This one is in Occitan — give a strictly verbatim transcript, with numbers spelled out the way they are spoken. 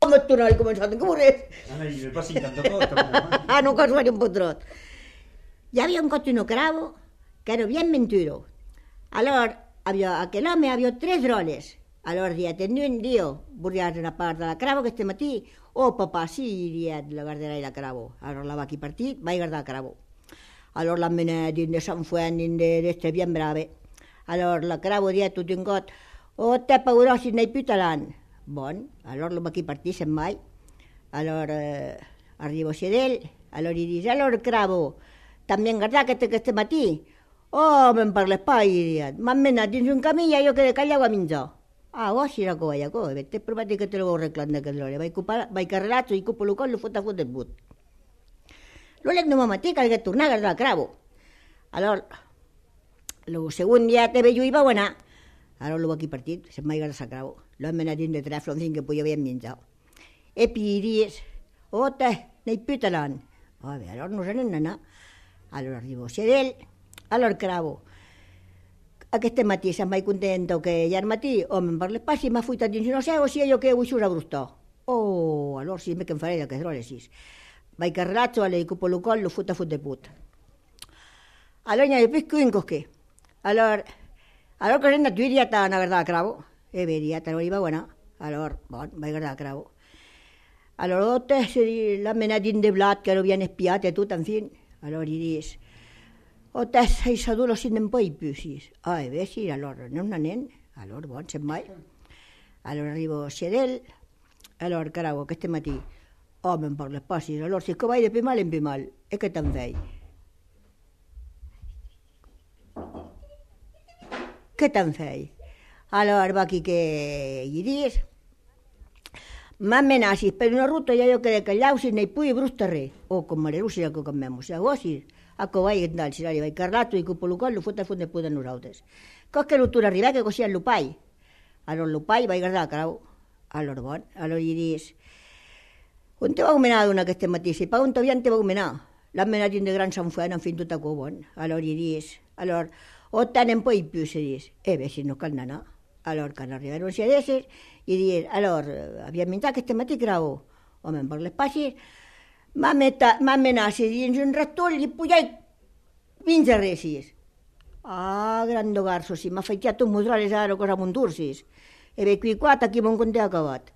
Me tornaré començar de córrer. Ah, non, pas cinquanta còps, tanpauc, eh? Ah, non, que suèri un pauc tròp. I aviá un còp una craba qu'èra bien ventuda. Alòr, aviá, aquel òme aviá tres dròlles. Alòr dièt en un, diu: «Vorriás una part de la craba aqueste matin?» «Ò, papà, si», dièt, «la gardarai la craba.» Alòr la vaca i partit, vai gardar la craba. Alòr la menèt dins de Sant Fuènt, dins de, d'èstre bien brave. Alòr la craba dièt tot un còp: «Ò, tè, pauròssi, n'ai pus talent.» Bon, alòr la vaca i partit, se'n vai. Alòr, eh, arriba sièt d'el, alòr i ditz: «Alòr, craba, t'an bien gardat aqueste, aqueste matin?» «Ò, me'n parles pas», i dièt, «m'an menat dins un camin, i a jo que de calhau a minjar.» «Ah, ò, si, aquò, aquò, e ben, te prometi que te lo vau reclamar d'aquel dròlle, vai copar, vai carrelar, i copa lo còl, lo fot a fot de put.» Lo lendeman matin calguèt tornar gardar la craba. Alòr, lo segond dièt: «E ben, jo i vau anar.» Alòr lo vaca i partit, se'n vai gardar sa craba. L'an menat dins de trèfla, enfin, que podiá bien minjar. E pi i ditz: «Ò, tè, n'ai pus talent.» «Ah, ben, alòr nos n'anem anar.» Alòr arriba sièt d'el, alòr craba: «Aqueste matin sèm mai contenta que ièr matin.» «Ò, me'n parles pas, si, m'an foitat dins una sèva, si, e jo que vau sus a brostar.» «Ò, alòr si, me que'n farai d'aqueste dròlle, si.» Vai carrelar, alòr i copa lo còl, lo fot a fot de put. Alòr n'i a pus qu'un còp que. Alòr, alòr que renda tu, dièt, a anar gardar la craba. E ben, dièt, alòr i vau anar. Alòr, bon, vai gardar la craba. Alòr, ò, tè, se ditz, l'an menat dins de blat, qu'èra bien espiat e tot, enfin. Alòr i ditz: «Ò, tè, ai sa dolor, si, ne'n pòi pus, si.» «Ah, e ben, si, alòr, nos n'anem.» Alòr, bon, se'n vai. Alòr arriba sièt d'el. Alòr, craba, aqueste matin: «Ò, me'n parles pas, si, alòr si, que vai de pus mal en pus mal. E que t'an fèit?» «Que t'an fèit?» Alòr, vaca que i ditz: «M'an menat, si, per una rota, i a jo que de calhau, si, n'ai pus brostar res.» «Ò, com malurós, si, aquò quand même, si, aquò, si, aquò vai, e tal, si, alòr i vai carrelar, i copa lo còl, lo fot a fot de put a nosautres. Còp que lo torn arribèt, que cossièt lo pair.» Alòr lo pair vai gardar la craba. Alòr, bon, alòr i ditz: «Ont te vau menar, donc, aqueste matin? Sai pas ont avián te vau menar.» «L'an menat dins de Grand Sant Fuènt, enfin, tot aquò, bon.» Alòr i ditz, alòr: «Ò, tè, ne'n pòi pus, si», ditz. «E ben, si, nos cal anar.» Alòr, quand arribèron sièt d'eles, i ditz: «Alòr, eh, avián minjat aqueste matin, craba?» «Ò, me'n parles pas, si.» «M'an meta-, m'an menat, si, dins un rastol, i podiái minjar res, si.» «Ah, granda garça, si, m'an faitiat tots mos dròlles ara, aquò's a mon torn, si.» «E ben, quicòm, aquí mon conte acabat.»